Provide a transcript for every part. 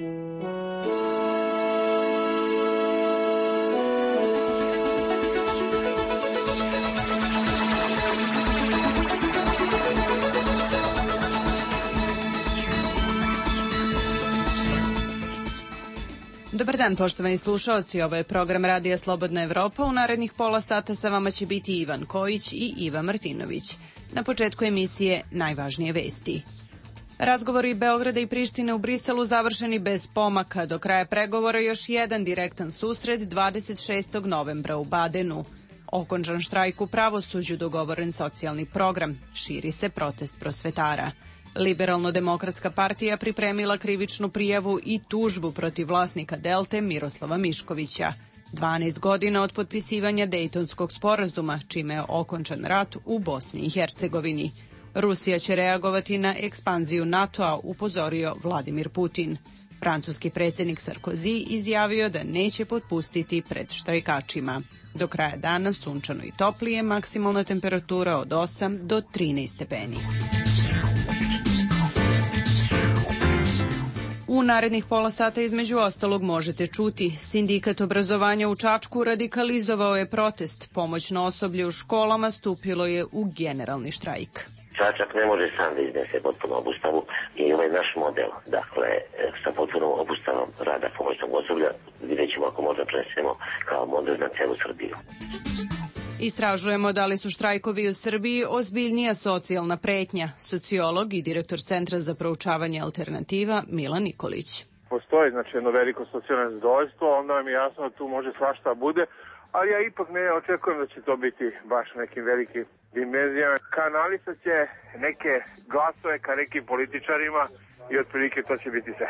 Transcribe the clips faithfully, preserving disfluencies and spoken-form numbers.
Dobar dan, poštovani slušaoci, ovo je program Radija Slobodna Evropa. U narednih pola sata sa vama će biti Ivan Kojić i Iva Martinović. Na početku emisije najvažnije vesti. Razgovori Beograda i Prištine u Briselu završeni bez pomaka. Do kraja pregovora još jedan direktan susret dvadeset šestog novembra u Badenu. Okončan štrajk u pravosuđu, dogovoren socijalni program. Širi se protest prosvetara. Liberalno-demokratska partija pripremila krivičnu prijavu i tužbu protiv vlasnika Delte Miroslava Miškovića. dvanaest godina od potpisivanja Dejtonskog sporazuma, čime je okončan rat u Bosni i Hercegovini. Rusija će reagovati na ekspanziju NATO-a, upozorio Vladimir Putin. Francuski predsjednik Sarkozy izjavio da neće potpustiti pred štrajkačima. Do kraja dana sunčano i toplije, maksimalna temperatura od osam do trinaest stepeni. U narednih pola sata između ostalog možete čuti: Sindikat obrazovanja u Čačku radikalizovao je protest, pomoćno osoblje u školama stupilo je u generalni štrajk. Čačak ne može sam da iznese potpuno obustavu i ovaj naš model, dakle, sa potpunom obustavom rada pomoćnog osoblja, vidjet ćemo ako možda prenesemo kao model na celu Srbiju. Istražujemo da li su štrajkovi u Srbiji ozbiljnija socijalna pretnja. Sociolog i direktor Centra za proučavanje alternativa Milan Nikolić. Postoji znači jedno veliko socijalno nezadovoljstvo, onda vam je jasno da tu može svašta bude, ali ja ipak ne očekujem da će to biti baš nekim velikim dimenzijama. Kanalisat će neke glasove ka nekim političarima i otprilike to će biti sve.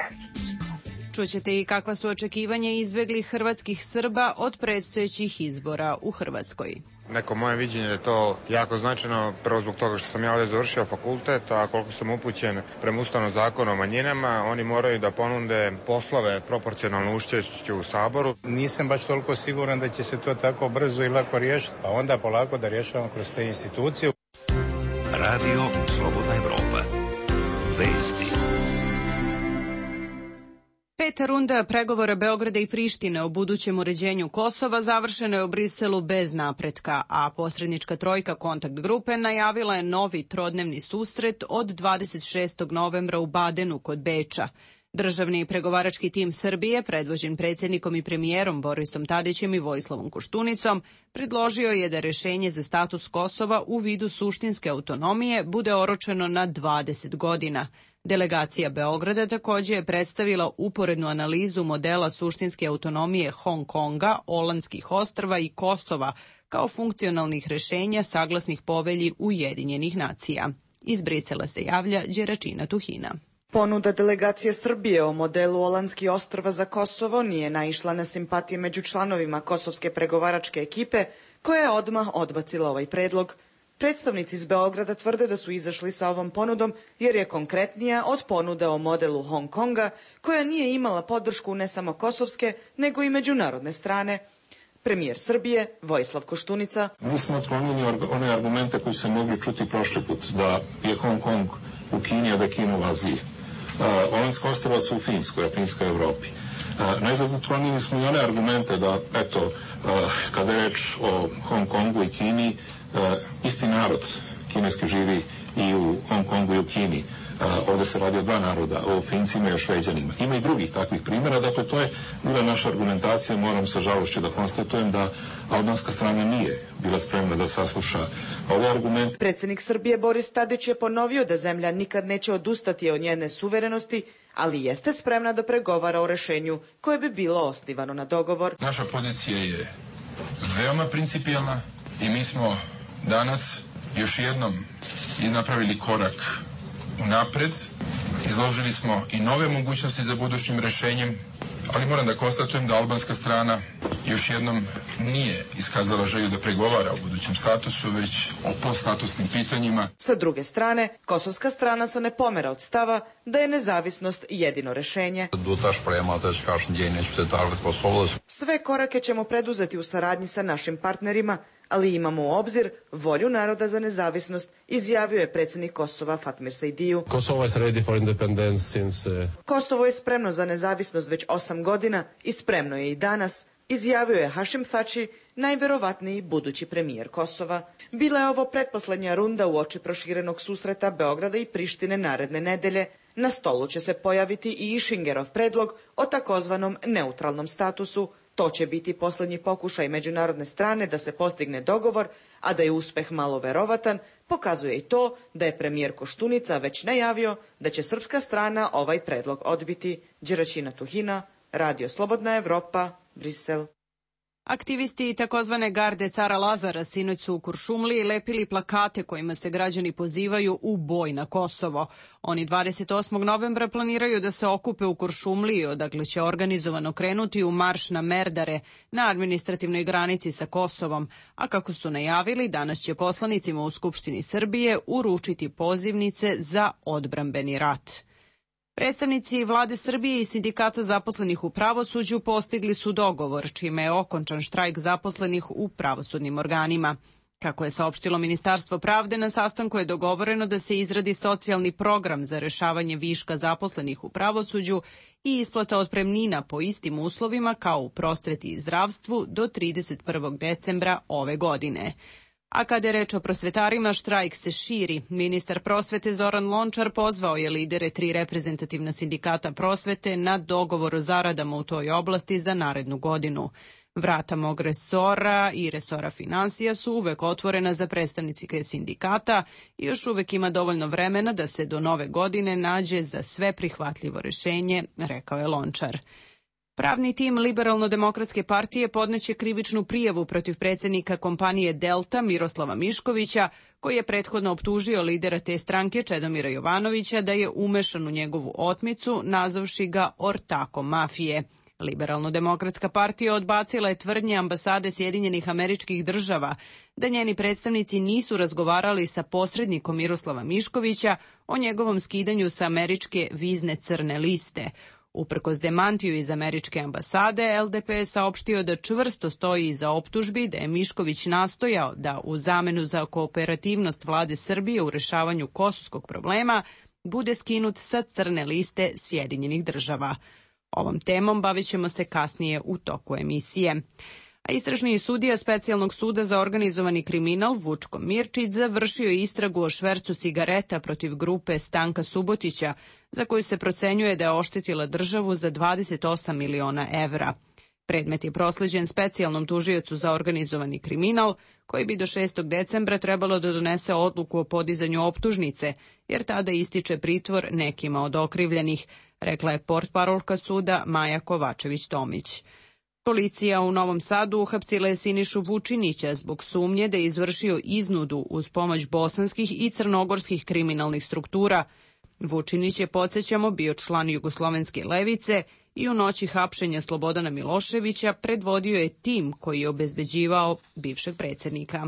Čućete i kakva su očekivanja izbeglih hrvatskih Srba od predstojećih izbora u Hrvatskoj. Neko moje viđenje je to jako značajno, prvo zbog toga što sam ja ovdje završio fakultet, a koliko sam upućen prema Ustavnom zakonu o manjinama, oni moraju da ponude poslove proporcionalno učešću u Saboru. Nisam baš toliko siguran da će se to tako brzo i lako riješiti, a onda polako da rješavamo kroz te institucije. Radio Slobodna Evropa. Vesti. Peta runda pregovora Beograda i Prištine o budućem uređenju Kosova završena je u Briselu bez napretka, a posrednička trojka kontakt grupe najavila je novi trodnevni susret od dvadeset šestog novembra u Badenu kod Beča. Državni i pregovarački tim Srbije, predvođen predsjednikom i premijerom Borisom Tadićem i Vojislavom Koštunicom, predložio je da rješenje za status Kosova u vidu suštinske autonomije bude oročeno na dvadeset godina. Delegacija Beograda također je predstavila uporednu analizu modela suštinske autonomije Hong Konga, Olandskih ostrva i Kosova kao funkcionalnih rješenja saglasnih povelji Ujedinjenih nacija. Iz Brisela se javlja Đeračina Tuhina. Ponuda delegacije Srbije o modelu Olandskih ostrva za Kosovo nije naišla na simpatije među članovima kosovske pregovaračke ekipe, koja je odmah odbacila ovaj predlog. Predstavnici iz Beograda tvrde da su izašli sa ovom ponudom jer je konkretnija od ponude o modelu Hong Konga, koja nije imala podršku ne samo kosovske, nego i međunarodne strane. Premijer Srbije, Vojislav Koštunica. Mi smo otklonili one argumente koji se mogli čuti prošli put, da je Hong Kong u Kini, a da je Kina u Aziji. Uh, Olandska ostrva su u Finskoj, a Finska u Evropi. Uh, najzad otklonili smo i one argumente da, eto, uh, kada je reč o Hong Kongu i Kini, Uh, isti narod kineski živi i u Hong Kongu i u Kini. Uh, ovdje se radi o dva naroda, o Fincima i o Šveđanima. Ima i drugih takvih primjera, dakle to je bila naša argumentacija. Moram sa žalošću da konstatujem da albanska strana nije bila spremna da sasluša ove argumente. Predsjednik Srbije Boris Tadić je ponovio da zemlja nikad neće odustati od njene suverenosti, ali jeste spremna da pregovara o rešenju koje bi bilo osnivano na dogovor. Naša pozicija je veoma principijelna i mi smo danas još jednom napravili korak unapred, izložili smo i nove mogućnosti za budućim rešenjem, ali moram da konstatujem da albanska strana još jednom nije iskazala želju da pregovara o budućem statusu, već o poststatusnim pitanjima. Sa druge strane, kosovska strana se ne pomera od stava da je nezavisnost jedino rešenje. Sve korake ćemo preduzeti u saradnji sa našim partnerima, ali imamo u obzir volju naroda za nezavisnost, izjavio je predsjednik Kosova Fatmir Sejdiju. Kosovo is ready for independence since, uh... Kosovo je spremno za nezavisnost već osam godina i spremno je i danas, izjavio je Hašim Thači, najverovatniji budući premijer Kosova. Bila je ovo pretposlednja runda uoči proširenog susreta Beograda i Prištine naredne nedelje. Na stolu će se pojaviti i Išingerov predlog o takozvanom neutralnom statusu. To će biti posljednji pokušaj međunarodne strane da se postigne dogovor, a da je uspeh malo verovatan, pokazuje i to da je premijer Koštunica već najavio da će srpska strana ovaj predlog odbiti. Đeraćina Tuhina, Radio Slobodna Evropa, Brisel. Aktivisti takozvane garde cara Lazara sinoć su u Kuršumliji lepili plakate kojima se građani pozivaju u boj na Kosovo. Oni dvadeset osmog novembra planiraju da se okupe u Kuršumliji, odakle će organizovano krenuti u marš na Merdare, na administrativnoj granici sa Kosovom, a kako su najavili, danas će poslanicima u Skupštini Srbije uručiti pozivnice za odbrambeni rat. Predstavnici vlade Srbije i sindikata zaposlenih u pravosuđu postigli su dogovor, čime je okončan štrajk zaposlenih u pravosudnim organima. Kako je saopštilo Ministarstvo pravde, na sastanku je dogovoreno da se izradi socijalni program za rešavanje viška zaposlenih u pravosuđu i isplata otpremnina po istim uslovima kao u prosveti i zdravstvu do trideset prvog decembra ove godine. A kada je reč o prosvetarima, štrajk se širi. Ministar prosvete Zoran Lončar pozvao je lidere tri reprezentativna sindikata prosvete na dogovor o zaradama u toj oblasti za narednu godinu. Vrata mog resora i resora finansija su uvek otvorena za predstavnike sindikata i još uvek ima dovoljno vremena da se do nove godine nađe za sve prihvatljivo rešenje, rekao je Lončar. Pravni tim Liberalno-demokratske partije podneće krivičnu prijavu protiv predsjednika kompanije Delta Miroslava Miškovića, koji je prethodno optužio lidera te stranke Čedomira Jovanovića da je umešan u njegovu otmicu, nazavši ga ortakom mafije. Liberalno-demokratska partija odbacila je tvrdnje ambasade Sjedinjenih Američkih Država da njeni predstavnici nisu razgovarali sa posrednikom Miroslava Miškovića o njegovom skidanju sa američke vizne crne liste. Uprkos demantiju iz američke ambasade, L D P je saopštio da čvrsto stoji iza optužbi da je Mišković nastojao da u zamenu za kooperativnost vlade Srbije u rešavanju kosovskog problema bude skinut sa crne liste Sjedinjenih Država. Ovom temom bavit ćemo se kasnije u toku emisije. A istražni sudija Specijalnog suda za organizovani kriminal Vučko Mirčić završio je istragu o švercu cigareta protiv grupe Stanka Subotića, za koju se procenjuje da je oštetila državu za dvadeset osam miliona evra. Predmet je prosleđen specijalnom tužiocu za organizovani kriminal, koji bi do šestog decembra trebalo da donese odluku o podizanju optužnice, jer tada ističe pritvor nekima od okrivljenih, rekla je portparolka suda Maja Kovačević-Tomić. Policija u Novom Sadu uhapsila je Sinišu Vučinića zbog sumnje da je izvršio iznudu uz pomoć bosanskih i crnogorskih kriminalnih struktura. Vučinić je, podsjećamo, bio član Jugoslovenske levice i u noći hapšenja Slobodana Miloševića predvodio je tim koji je obezbeđivao bivšeg predsjednika.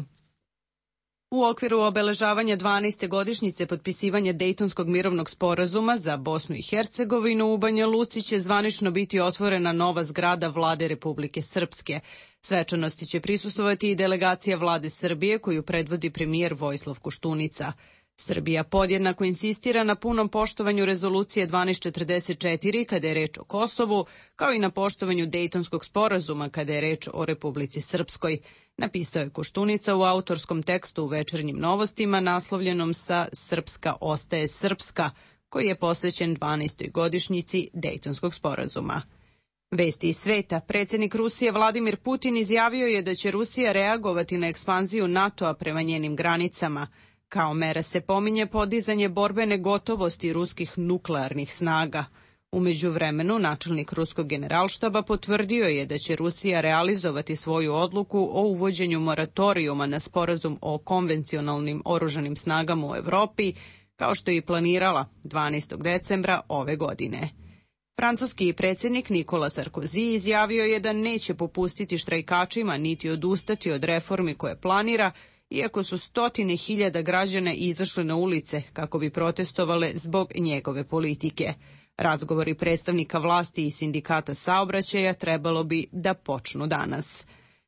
U okviru obeležavanja dvanaeste godišnjice potpisivanja Dejtonskog mirovnog sporazuma za Bosnu i Hercegovinu u Banja Luci će zvanično biti otvorena nova zgrada vlade Republike Srpske. Svečanosti će prisustvovati i delegacija vlade Srbije koju predvodi premijer Vojislav Koštunica. Srbija podjednako insistira na punom poštovanju rezolucije dvanaest četrdeset četiri kada je reč o Kosovu, kao i na poštovanju Dejtonskog sporazuma kada je reč o Republici Srpskoj, napisao je Koštunica u autorskom tekstu u Večernjim novostima naslovljenom sa Srpska ostaje srpska, koji je posvećen dvanaestoj godišnjici Dejtonskog sporazuma. Vesti iz sveta. Predsjednik Rusije Vladimir Putin izjavio je da će Rusija reagovati na ekspanziju NATO-a prema njenim granicama. Kao mera se pominje podizanje borbene gotovosti ruskih nuklearnih snaga. U međuvremenu, načelnik ruskog generalštaba potvrdio je da će Rusija realizovati svoju odluku o uvođenju moratorijuma na sporazum o konvencionalnim oružanim snagama u Evropi, kao što je i planirala dvanaestog decembra ove godine. Francuski predsjednik Nikola Sarkozy izjavio je da neće popustiti štrajkačima niti odustati od reformi koje planira, iako su stotine hiljada građana izašle na ulice kako bi protestovale zbog njegove politike. Razgovori predstavnika vlasti i sindikata saobraćaja trebalo bi da počnu danas.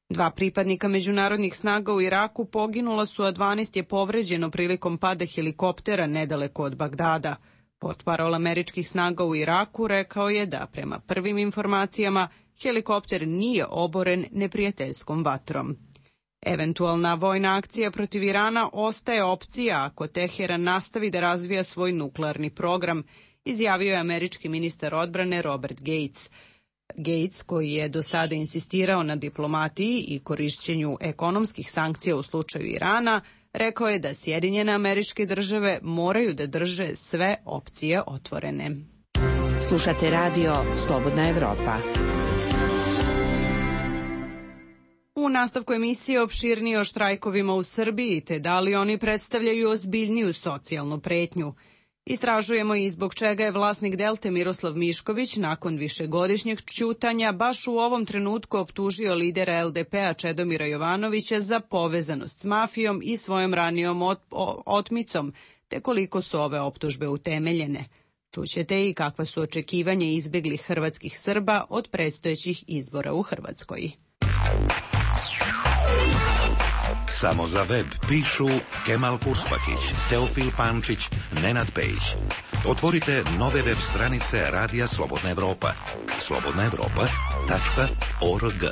Dva pripadnika međunarodnih snaga u Iraku poginula su, a dvanaest je povređeno prilikom pada helikoptera nedaleko od Bagdada. Portparol američkih snaga u Iraku rekao je da, prema prvim informacijama, helikopter nije oboren neprijateljskom vatrom. Eventualna vojna akcija protiv Irana ostaje opcija ako Teheran nastavi da razvija svoj nuklearni program, izjavio je američki ministar odbrane Robert Gates. Gates, koji je do sada insistirao na diplomatiji i korišćenju ekonomskih sankcija u slučaju Irana, rekao je da Sjedinjene Američke Države moraju da drže sve opcije otvorene. Slušate radio Slobodna Evropa. U nastavku emisije opširnije o štrajkovima u Srbiji, te da li oni predstavljaju ozbiljniju socijalnu pretnju. Istražujemo i zbog čega je vlasnik Delte Miroslav Mišković nakon višegodišnjeg ćutanja baš u ovom trenutku optužio lidera L D P-a Čedomira Jovanovića za povezanost s mafijom i svojom ranijom ot otmicom, te koliko su ove optužbe utemeljene. Čućete i kakva su očekivanja izbeglih hrvatskih Srba od predstojećih izbora u Hrvatskoj. Samo za web pišu Kemal Purspahić, Teofil Pančić, Nenad Pejić. Otvorite nove web stranice Radija Slobodna Evropa. slobodna evropa tačka org.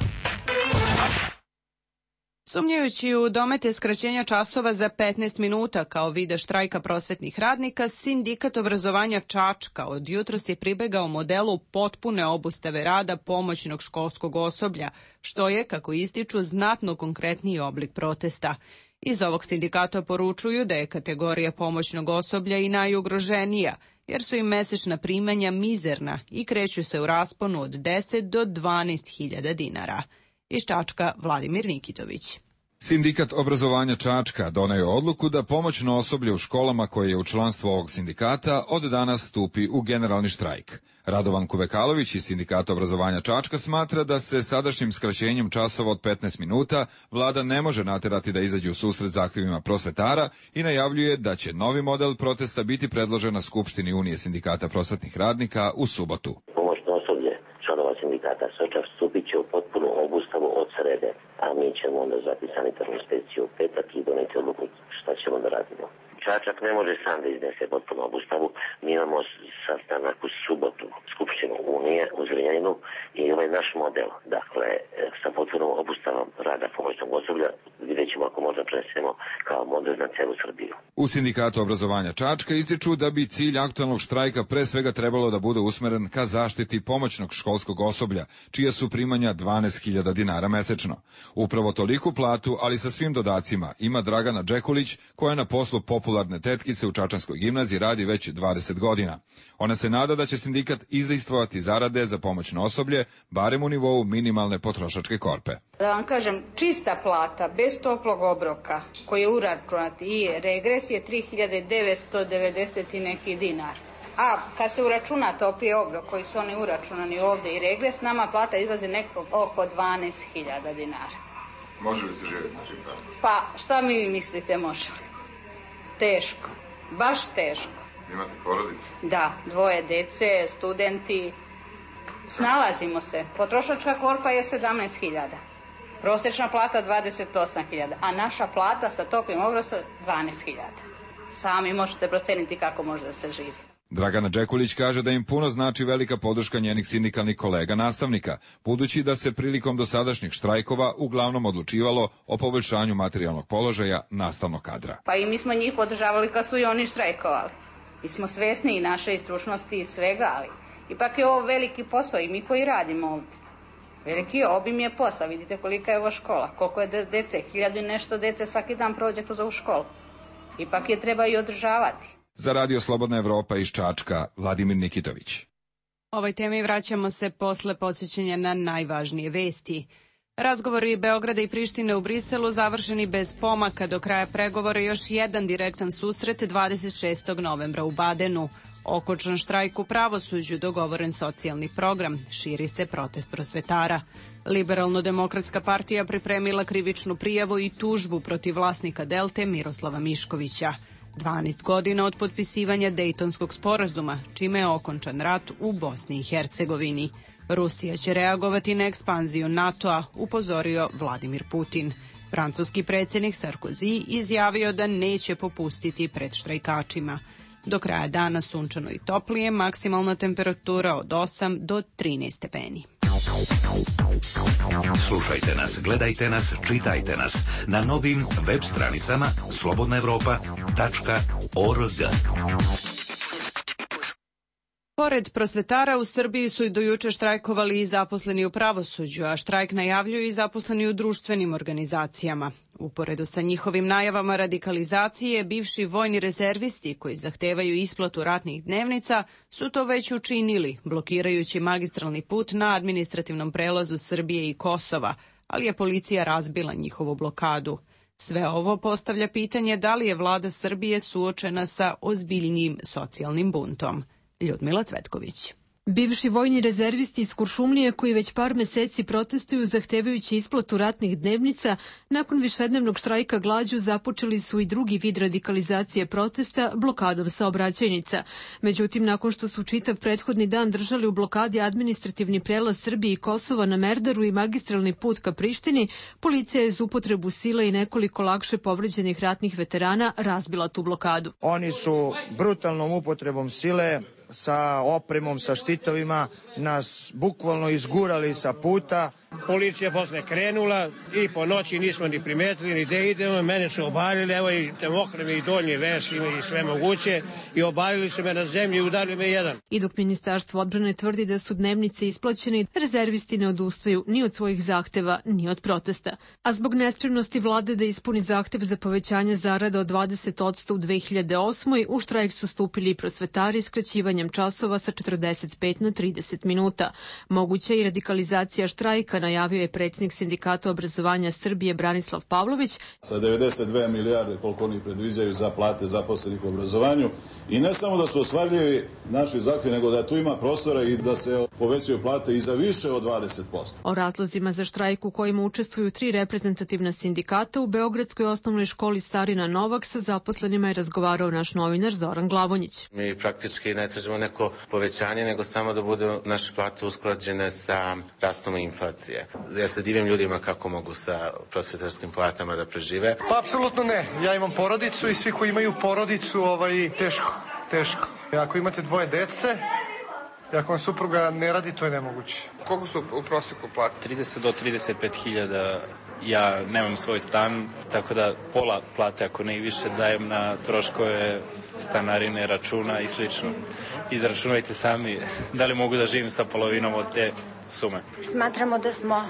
Sumnjajući u domete skraćenja časova za petnaest minuta kao vide štrajka prosvetnih radnika, Sindikat obrazovanja Čačka od jutros je pribegao modelu potpune obustave rada pomoćnog školskog osoblja, što je, kako ističu, znatno konkretniji oblik protesta. Iz ovog sindikata poručuju da je kategorija pomoćnog osoblja i najugroženija, jer su im mesečna primanja mizerna i kreću se u rasponu od deset do dvanaest hiljada dinara. Iz Čačka Vladimir Nikitović. Sindikat obrazovanja Čačka doneo je odluku da pomoćno osoblje u školama koje je u članstvu ovog sindikata od danas stupi u generalni štrajk. Radovan Kuvekalović iz Sindikata obrazovanja Čačka smatra da se sadašnjim skraćenjem časova od petnaest minuta vlada ne može naterati da izađe u susret zahtjevima prosvetara i najavljuje da će novi model protesta biti predložen na Skupštini Unije sindikata prosvetnih radnika u subotu. Pomoćno osoblje članova sindikata Sočar stupit će u potpunu obustavu od srede, a mi ćemo onda zvati sanitarnu inspekciju u petak i doneti odluku šta ćemo da radimo. Čačak ne može sam da iznese potpunu obustavu. Mi imamo sastanak u subotu Skupštinu Unije u Zrenjaninu i ovaj naš model, dakle, sa potpunom obustavom rada pomoćnog osoblja, vidjet ćemo ako možda prenesemo kao model na celu Srbiju. U Sindikatu obrazovanja Čačka ističu da bi cilj aktualnog štrajka pre svega trebalo da bude usmeren ka zaštiti pomoćnog školskog osoblja, čija su primanja dvanaest hiljada dinara mesečno. Upravo toliku platu, ali sa svim dodacima, ima Dragana Džekulić, koja na poslu popularne tetkice u Čačanskoj gimnaziji radi već dvadeset godina. Ona se nada da će sindikat izdejstvovati zarade za pomoćno osoblje, barem u nivou minimalne potrošačke korpe. Da vam kažem, čista plata, bez toplog obroka, koji je uračunat i regres je tri hiljade devetsto devedeset i neki dinar. A kad se uračuna topli obrok koji su oni uračunani ovde i regres, nama plata izlazi neko oko dvanaest hiljada dinara. Može li se živjeti s čim tako? Pa šta mi mislite može? Teško, baš teško. Imate porodicu? Da, dvoje dece, studenti. Snalazimo se. Potrošačka korpa je sedamnaest hiljada. Prosječna plata dvadeset osam hiljada, a naša plata sa toplim obrokom dvanaest hiljada. Sami možete proceniti kako može da se živi. Dragana Džekulić kaže da im puno znači velika podrška njenih sindikalnih kolega nastavnika, budući da se prilikom dosadašnjih štrajkova uglavnom odlučivalo o poboljšanju materijalnog položaja nastavnog kadra. Pa i mi smo njih podržavali kad su i oni štrajkovali. Mi smo svesni i naše stručnosti i svega, ali ipak je ovo veliki posao i mi koji radimo ovdje. Veliki obim je posao, vidite kolika je ovo škola, koliko je dece, hiljadu i nešto dece svaki dan prođe kroz ovu školu. Ipak je treba i održavati. Za Radio Slobodna Evropa iz Čačka, Vladimir Nikitović. Ovoj temi vraćamo se posle podsjećanja na najvažnije vesti. Razgovori Beograda i Prištine u Briselu završeni bez pomaka, do kraja pregovora još jedan direktan susret dvadeset šestog novembra u Badenu. Okončan štrajk u pravosuđu, dogovoren socijalni program, širi se protest prosvetara. Liberalno-demokratska partija pripremila krivičnu prijavu i tužbu protiv vlasnika Delte Miroslava Miškovića. dvanaest godina od potpisivanja Dejtonskog sporazuma, čime je okončan rat u Bosni i Hercegovini. Rusija će reagovati na ekspanziju NATO-a, upozorio Vladimir Putin. Francuski predsjednik Sarkozy izjavio da neće popustiti pred štrajkačima. Do kraja dana sunčano i toplije, maksimalna temperatura od osam do trinaest stepeni. Slušajte nas, gledajte nas, čitajte nas na novim web stranicama slobodna evropa tačka org. Pored prosvetara u Srbiji su i do juče štrajkovali i zaposleni u pravosuđu, a štrajk najavljuju i zaposleni u društvenim organizacijama. Uporedo sa njihovim najavama radikalizacije, bivši vojni rezervisti koji zahtevaju isplatu ratnih dnevnica su to već učinili, blokirajući magistralni put na administrativnom prelazu Srbije i Kosova, ali je policija razbila njihovu blokadu. Sve ovo postavlja pitanje da li je vlada Srbije suočena sa ozbiljnijim socijalnim buntom. Ljudmila Cvetković. Bivši vojni rezervisti iz Kuršumlije koji već par meseci protestuju zahtevajući isplatu ratnih dnevnica, nakon višednevnog štrajka glađu započeli su i drugi vid radikalizacije protesta blokadom saobraćajnica. Međutim, nakon što su čitav prethodni dan držali u blokadi administrativni prelaz Srbije i Kosova na Merdaru i magistralni put ka Prištini, policija je uz upotrebu sile i nekoliko lakše povređenih ratnih veterana razbila tu blokadu. Oni su brutalnom upotrebom sile sa opremom, sa štitovima, nas bukvalno izgurali sa puta. Policija posle krenula i po noći nismo ni primetili ni gde idemo, mene su obalili, evo i te mokre mi i donji veš i sve moguće i obalili su me na zemlji i udarili me jedan. I dok Ministarstvo odbrane tvrdi da su dnevnice isplaćene, rezervisti ne odustaju ni od svojih zahteva, ni od protesta. A zbog nespremnosti vlade da ispuni zahtev za povećanje zarada od dvadeset posto u dve hiljade osmoj. u štrajk su stupili i prosvetari skraćivanjem časova sa četrdeset pet na trideset minuta. Moguća i radikalizacija štrajka, najavio je predsjednik Sindikata obrazovanja Srbije Branislav Pavlović. Sa devedeset dve milijarde koliko oni predviđaju za plate zaposlenih u obrazovanju i ne samo da su ostvarljivi naši zahtjevi, nego da tu ima prostora i da se povećaju plate i za više od dvadeset posto. O razlozima za štrajk u kojima učestvuju tri reprezentativna sindikata u Beogradskoj osnovnoj školi Starina Novak sa zaposlenima je razgovarao naš novinar Zoran Glavonjić. Mi praktički ne tražimo neko povećanje, nego samo da budu naše plate usklađene sa rastom inflacije. Ja se divim ljudima kako mogu sa prosvetarskim platama da prežive. Pa apsolutno ne. Ja imam porodicu i svi koji imaju porodicu, ovaj, teško, teško. Ako imate dvoje dece, ako vam supruga ne radi, to je nemoguće. Koliko su u prosjeku plate? trideset do trideset pet hiljada. Ja nemam svoj stan, tako da pola plate, ako ne i više, dajem na troškove stanarine, računa i slično. Izračunajte sami da li mogu da živim sa polovinom od te sume. Smatramo da smo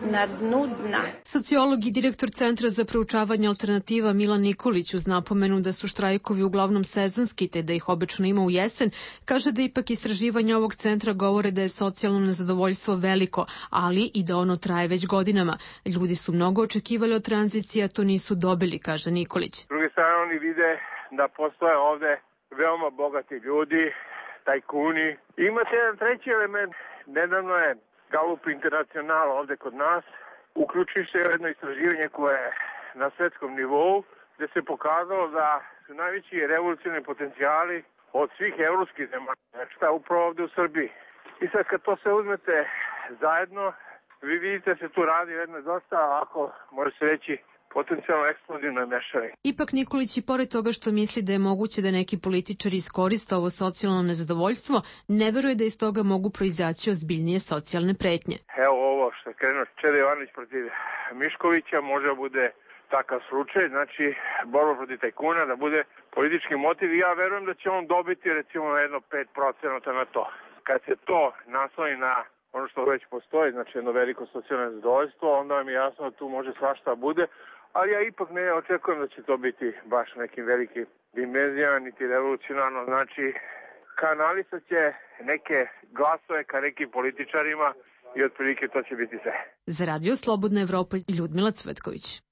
na dnu dna. Sociolog i direktor Centra za proučavanje alternativa Milan Nikolić uz napomenu da su štrajkovi uglavnom sezonski te da ih obično ima u jesen, kaže da ipak istraživanja ovog centra govore da je socijalno nezadovoljstvo veliko, ali i da ono traje već godinama. Ljudi su mnogo očekivali od tranzicije, a to nisu dobili, kaže Nikolić. S druge strane oni vide da postoje ovde veoma bogati ljudi, tajkuni. Imate jedan treći element. Nedavno je Gallup International ovde kod nas uključivši jedno istraživanje koje je na svetskom nivou, gde se pokazalo da su najveći revolucionarni potencijali od svih evropskih zemalja, znači šta upravo ovde u Srbiji. I sad kad to sve uzmete zajedno, vi vidite da se tu radi jedno dosta, ako može se reći, potencijalno eksplozivno mešavanje. Ipak Nikolić i pored toga što misli da je moguće da neki političari iskoriste ovo socijalno nezadovoljstvo, ne veruje da iz toga mogu proizaći ozbiljnije socijalne pretnje. Evo ovo što je krenuo Čeda Jovanović protiv Miškovića, može da bude takav slučaj, znači borba protiv tajkuna, da bude politički motiv i ja verujem da će on dobiti recimo jedno pet procenata na to. Kad se to nasloni na ono što već postoji, znači jedno veliko socijalno nezadovoljstvo, onda vam je jasno da tu može svašta bude, ali ja ipak ne očekujem da će to biti baš nekim velikim dimenzijama, niti revolucionarno, znači kanalisat će neke glasove ka nekim političarima i otprilike to će biti sve. Za Radio Slobodna Evropa, Ljudmila Cvetković.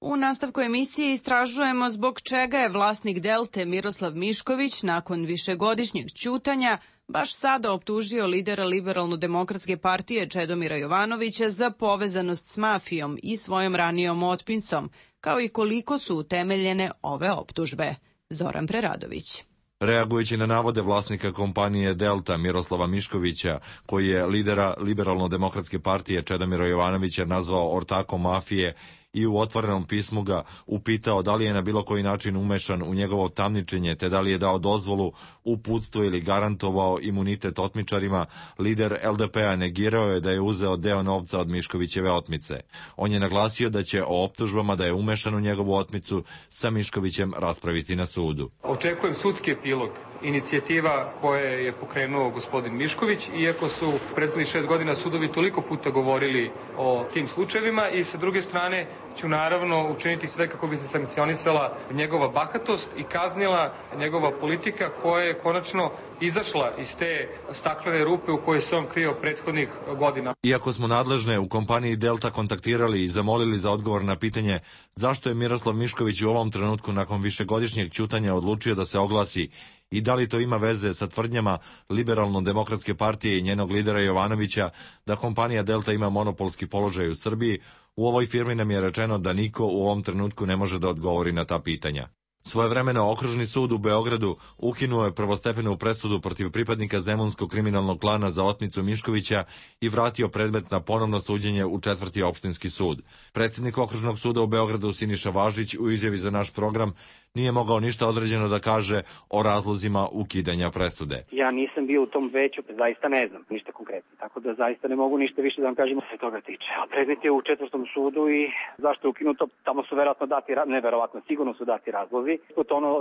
U nastavku emisije istražujemo zbog čega je vlasnik Delte Miroslav Mišković nakon višegodišnjeg ćutanja baš sada optužio lidera Liberalno-demokratske partije Čedomira Jovanovića za povezanost s mafijom i svojom ranijom otpincom, kao i koliko su utemeljene ove optužbe. Zoran Preradović. Reagujući na navode vlasnika kompanije Delta Miroslava Miškovića, koji je lidera Liberalno-demokratske partije Čedomira Jovanovića nazvao ortakom mafije i u otvorenom pismu ga upitao da li je na bilo koji način umešan u njegovo tamničenje, te da li je dao dozvolu, uputstvo ili garantovao imunitet otmičarima, lider L D P-a negirao je da je uzeo deo novca od Miškovićeve otmice. On je naglasio da će o optužbama da je umešan u njegovu otmicu sa Miškovićem raspraviti na sudu. Očekujem sudski epilog inicijativa koje je pokrenuo gospodin Mišković, iako su prethodnih šest godina sudovi toliko puta govorili o tim slučajevima, i sa druge strane ću naravno učiniti sve kako bi se sankcionisala njegova bahatost i kaznila njegova politika koja je konačno izašla iz te staklene rupe u kojoj se on krio prethodnih godina. Iako smo nadležne u kompaniji Delta kontaktirali i zamolili za odgovor na pitanje zašto je Miroslav Mišković u ovom trenutku nakon višegodišnjeg ćutanja odlučio da se oglasi i da li to ima veze sa tvrdnjama Liberalno-demokratske partije i njenog lidera Jovanovića da kompanija Delta ima monopolski položaj u Srbiji, u ovoj firmi nam je rečeno da niko u ovom trenutku ne može da odgovori na ta pitanja. Svojevremeno Okružni sud u Beogradu ukinuo je prvostepenu presudu protiv pripadnika Zemunskog kriminalnog klana za otmicu Miškovića i vratio predmet na ponovno suđenje u četvrti opštinski sud. Predsjednik Okružnog suda u Beogradu Siniša Važić u izjavi za naš program nije mogao ništa određeno da kaže o razlozima ukidanja presude. Ja nisam bio u tom veću, zaista ne znam ništa konkretno, tako da zaista ne mogu ništa više da vam kažem se toga tiče. A predmet je u četvrtom sudu i zašto je ukinuto, tamo su verovatno dati, ne verovatno, sigurno su dati razlozi. To ono,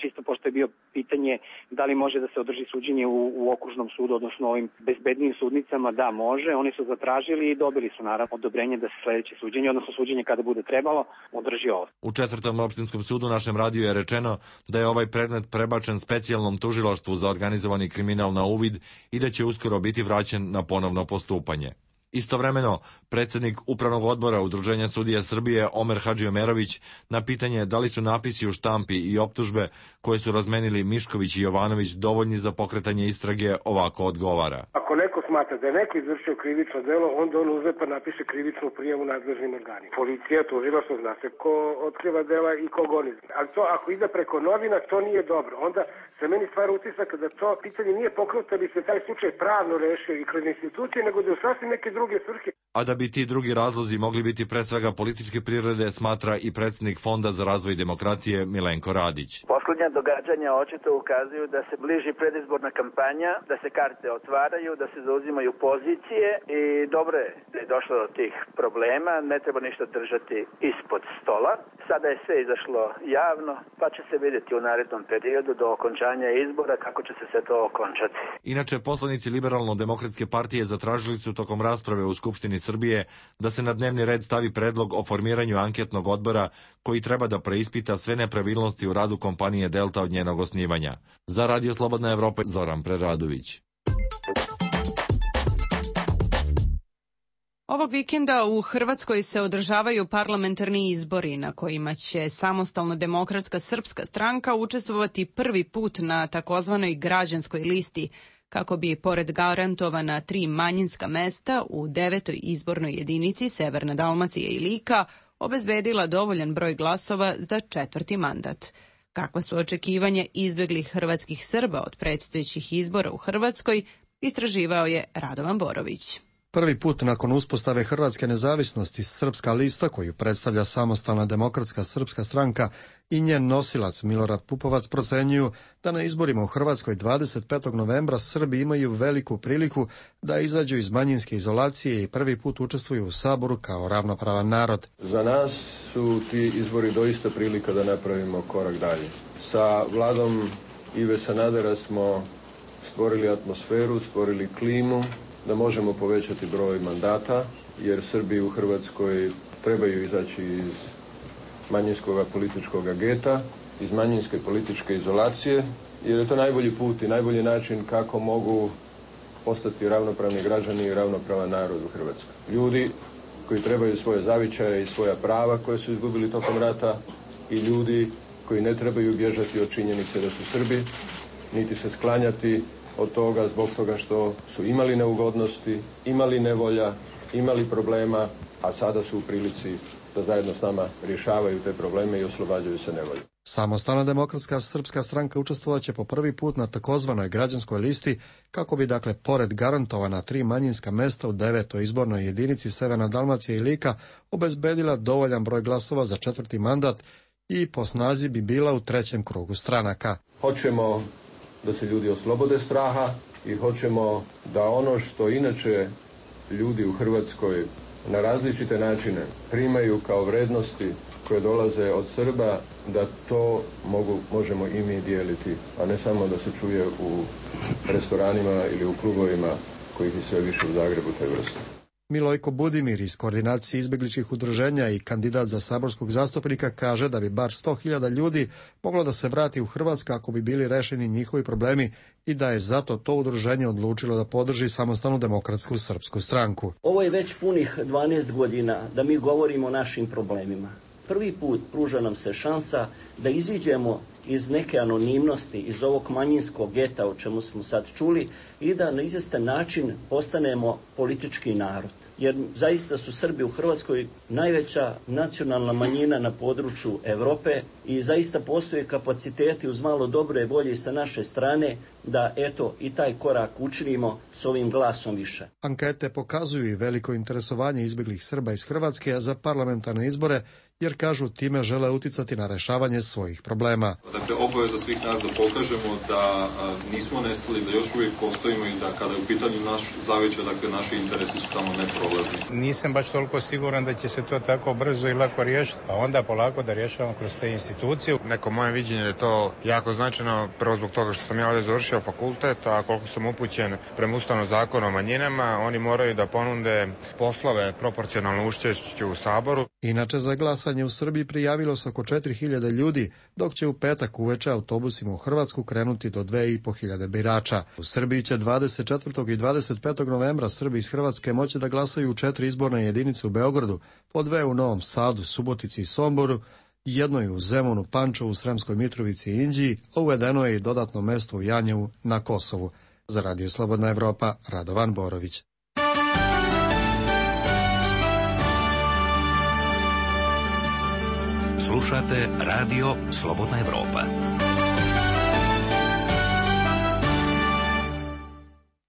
čisto pošto je bio pitanje da li može da se održi suđenje u, u okružnom sudu, odnosno ovim bezbednijim sudnicama, da može. Oni su zatražili i dobili su naravno odobrenje da se sledeće suđenje, odnosno suđenje kada bude trebalo, održi ovo. U četvrtom opštinskom sudu našem radiju je rečeno da je ovaj predmet prebačen specijalnom tužilaštvu za organizovani kriminal na uvid i da će uskoro biti vraćen na ponovno postupanje. Istovremeno, predsjednik Upravnog odbora Udruženja sudija Srbije Omer Hadžiomerović na pitanje da li su napisi u štampi i optužbe koje su razmenili Mišković i Jovanović dovoljni za pokretanje istrage ovako odgovara. Ako neko smatra da je neko izvršio krivično delo, onda on uzme pa napiše krivičnu prijavu nadležnim organima. Policija, tužilaštvo, zna se ko otkriva dela i ko goni. Ali to ako ide preko novina, to nije dobro. Onda se meni stvara utisak da to pitanje nije pokrenuto da bi se taj slučaj pravno rešio i kroz institucije, nego da je sasvim neke druge svrhe. A da bi ti drugi razlozi mogli biti pre svega političke prirode, smatra i predsjednik Fonda za razvoj demokratije Milenko Radić. Poslednja događanja očito ukazuju da se bliži predizborna kampanja, da se karte otvaraju, da se zauzimaju pozicije i dobro je da je došlo do tih problema, ne treba ništa držati ispod stola. Sada je sve izašlo javno, pa će se vidjeti u narednom periodu do okončanja izbora kako će se sve to okončati. Inače, poslanici Liberalno-demokratske partije zatražili su tokom rasprave u Skupštini Srbije da se na dnevni red stavi predlog o formiranju anketnog odbora koji treba da preispita sve nepravilnosti u radu kompanije Delta od njenog osnivanja. Za Radio Slobodna Evropa, Zoran Preradović. Ovog vikenda u Hrvatskoj se održavaju parlamentarni izbori na kojima će Samostalna demokratska srpska stranka učestvovati prvi put na takozvanoj građanskoj listi, kako bi, pored garantovana tri manjinska mesta u devetoj izbornoj jedinici Severna Dalmacija i Lika, obezbedila dovoljan broj glasova za četvrti mandat. Kakva su očekivanja izbeglih hrvatskih Srba od predstojećih izbora u Hrvatskoj, istraživao je Radovan Borović. Prvi put nakon uspostave Hrvatske nezavisnosti Srpska lista, koju predstavlja Samostalna demokratska srpska stranka i njen nosilac Milorad Pupovac, procenjuju da na izborima u Hrvatskoj dvadeset petog novembra Srbi imaju veliku priliku da izađu iz manjinske izolacije i prvi put učestvuju u Saboru kao ravnopravan narod. Za nas su ti izbori doista prilika da napravimo korak dalje. Sa vladom Ive Sanadera smo stvorili atmosferu, stvorili klimu da možemo povećati broj mandata, jer Srbi u Hrvatskoj trebaju izaći iz manjinskog političkog geta, iz manjinske političke izolacije, jer je to najbolji put i najbolji način kako mogu postati ravnopravni građani i ravnopravan narod u Hrvatskoj. Ljudi koji trebaju svoje zavičaje i svoja prava koje su izgubili tokom rata i ljudi koji ne trebaju bježati od činjenice da su Srbi, niti se sklanjati od toga zbog toga što su imali neugodnosti, imali nevolja, imali problema, a sada su u prilici da zajedno s nama rješavaju te probleme i oslobađaju se nevolje. Samostalna demokratska srpska stranka učestvovaće po prvi put na takozvanoj građanskoj listi kako bi, dakle, pored garantovana tri manjinska mesta u devetoj izbornoj jedinici Severna Dalmacija i Lika, obezbedila dovoljan broj glasova za četvrti mandat i po snazi bi bila u trećem krugu stranaka. Hoćemo da se ljudi oslobode straha i hoćemo da ono što inače ljudi u Hrvatskoj na različite načine primaju kao vrednosti koje dolaze od Srba, da to mogu, možemo i mi dijeliti, a ne samo da se čuje u restoranima ili u klubovima kojih je sve više u Zagrebu te vrste. Milojko Budimir iz Koordinacije izbegličkih udruženja i kandidat za saborskog zastupnika kaže da bi bar sto hiljada ljudi moglo da se vrati u Hrvatsku ako bi bili rešeni njihovi problemi i da je zato to udruženje odlučilo da podrži Samostalnu demokratsku srpsku stranku. Ovo je već punih dvanaest godina da mi govorimo o našim problemima. Prvi put pruža nam se šansa da iziđemo iz neke anonimnosti, iz ovog manjinskog geta o čemu smo sad čuli i da na izvestan način postanemo politički narod. Jer zaista su Srbi u Hrvatskoj najveća nacionalna manjina na području Evrope i zaista postoje kapaciteti uz malo dobre volje sa naše strane da eto i taj korak učinimo s ovim glasom više. Ankete pokazuju i veliko interesovanje izbeglih Srba iz Hrvatske za parlamentarne izbore, jer kažu time žele uticati na rešavanje svojih problema. Dakle, obaveza svih nas da pokažemo da a, nismo nestali, da još uvijek postojimo i da kada je u pitanju naš zavičaj, dakle, naši interesi su tamo neprolazni. Nisam baš toliko siguran da će se to tako brzo i lako riješiti, a onda polako da rješavamo kroz te institucije. Neko moje viđenje je to jako značajno, prvo zbog toga što sam ja ovdje završio fakultet, a koliko sam upućen prema Ustavnom zakonu o manjinama, oni moraju da ponude poslove proporcionalno učešću u Saboru. Inače, za glasanje u Srbiji prijavilo se oko četiri hiljade ljudi, dok će u petak uveče autobusima u Hrvatsku krenuti do dve i po hiljade birača. U Srbiji će dvadeset četvrtog i dvadeset petog novembra Srbi iz Hrvatske moći da glasaju u četiri izborne jedinice u Beogradu, po dve u Novom Sadu, Subotici i Somboru, jednoj u Zemunu, Pančevu, Sremskoj Mitrovici i Inđiji, a uvedeno je i dodatno mesto u Janjevu na Kosovu. Za Radio Slobodna Evropa, Radovan Borović. Slušate Radio Slobodna Evropa.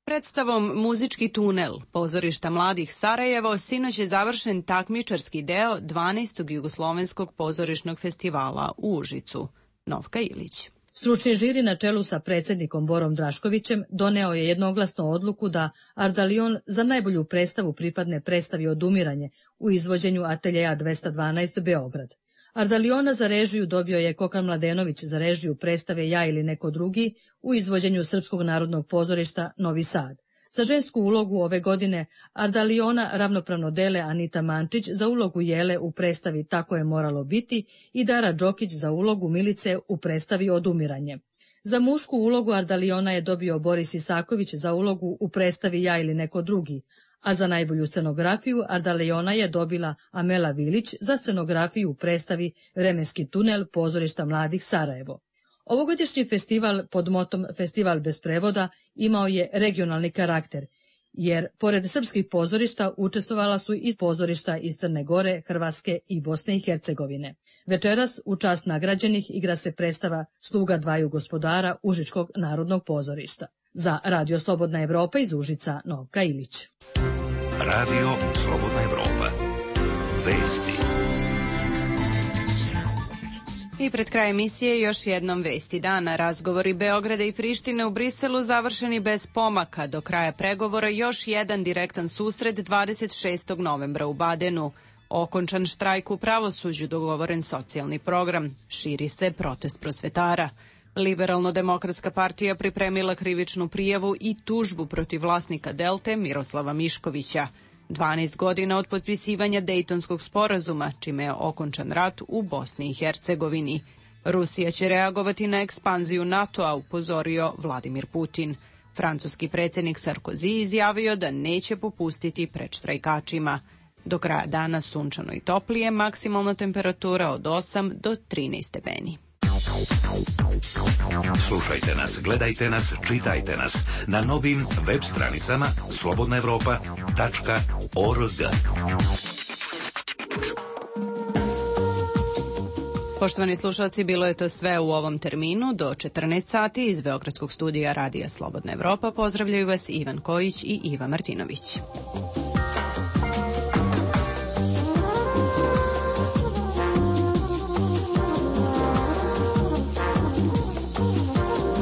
Predstavom Muzički tunel pozorišta mladih Sarajevo sinoć je završen takmičarski deo dvanaestog jugoslovenskog pozorišnog festivala u Užicu. Novka Ilić. Stručni žiri na čelu sa predsjednikom Borom Draškovićem doneo je jednoglasno odluku da Ardalion za najbolju predstavu pripadne predstavi Odumiranje u izvođenju Ateljeja dvesta dvanaest Beograd. Ardaliona za režiju dobio je Kokan Mladenović za režiju predstave Ja ili neko drugi u izvođenju Srpskog narodnog pozorišta Novi Sad. Za žensku ulogu ove godine Ardaliona ravnopravno dele Anita Mančić za ulogu Jele u predstavi Tako je moralo biti i Dara Đokić za ulogu Milice u predstavi Odumiranje. Za mušku ulogu Ardaliona je dobio Boris Isaković za ulogu u predstavi Ja ili neko drugi, a za najbolju scenografiju Ardaliona je dobila Amela Vilić za scenografiju u predstavi Vremenski tunel pozorišta mladih Sarajevo. Ovogodišnji festival pod motom Festival bez prevoda imao je regionalni karakter, jer pored srpskih pozorišta učestvovala su i pozorišta iz Crne Gore, Hrvatske i Bosne i Hercegovine. Večeras u čast nagrađenih igra se predstava Sluga dvaju gospodara Užičkog narodnog pozorišta. Za Radio Slobodna Evropa iz Užica, Novka Ilić. Radio Slobodna Evropa. Vesti. I pred kraj emisije još jednom vesti dana. Razgovori Beograda i Prištine u Briselu završeni bez pomaka. Do kraja pregovora još jedan direktan susret dvadeset šestog novembra u Badenu. Okončan štrajk u pravosuđu, dogovoren socijalni program. Širi se protest prosvetara. Liberalno-demokratska partija pripremila krivičnu prijavu i tužbu protiv vlasnika Delte Miroslava Miškovića. dvanaest godina od potpisivanja Dejtonskog sporazuma, čime je okončan rat u Bosni i Hercegovini. Rusija će reagovati na ekspanziju NATO-a, upozorio Vladimir Putin. Francuski predsjednik Sarkozy izjavio da neće popustiti pred štrajkačima. Do kraja dana sunčano i toplije, maksimalna temperatura od osam do trinaest stepeni. Slušajte nas, gledajte nas, čitajte nas na novim web stranicama slobodna evropa tačka org. Poštovani slušalci, bilo je to sve u ovom terminu. Do četrnaest sati iz Beogradskog studija Radija Slobodna Evropa pozdravljaju vas Ivan Kojić i Iva Martinović.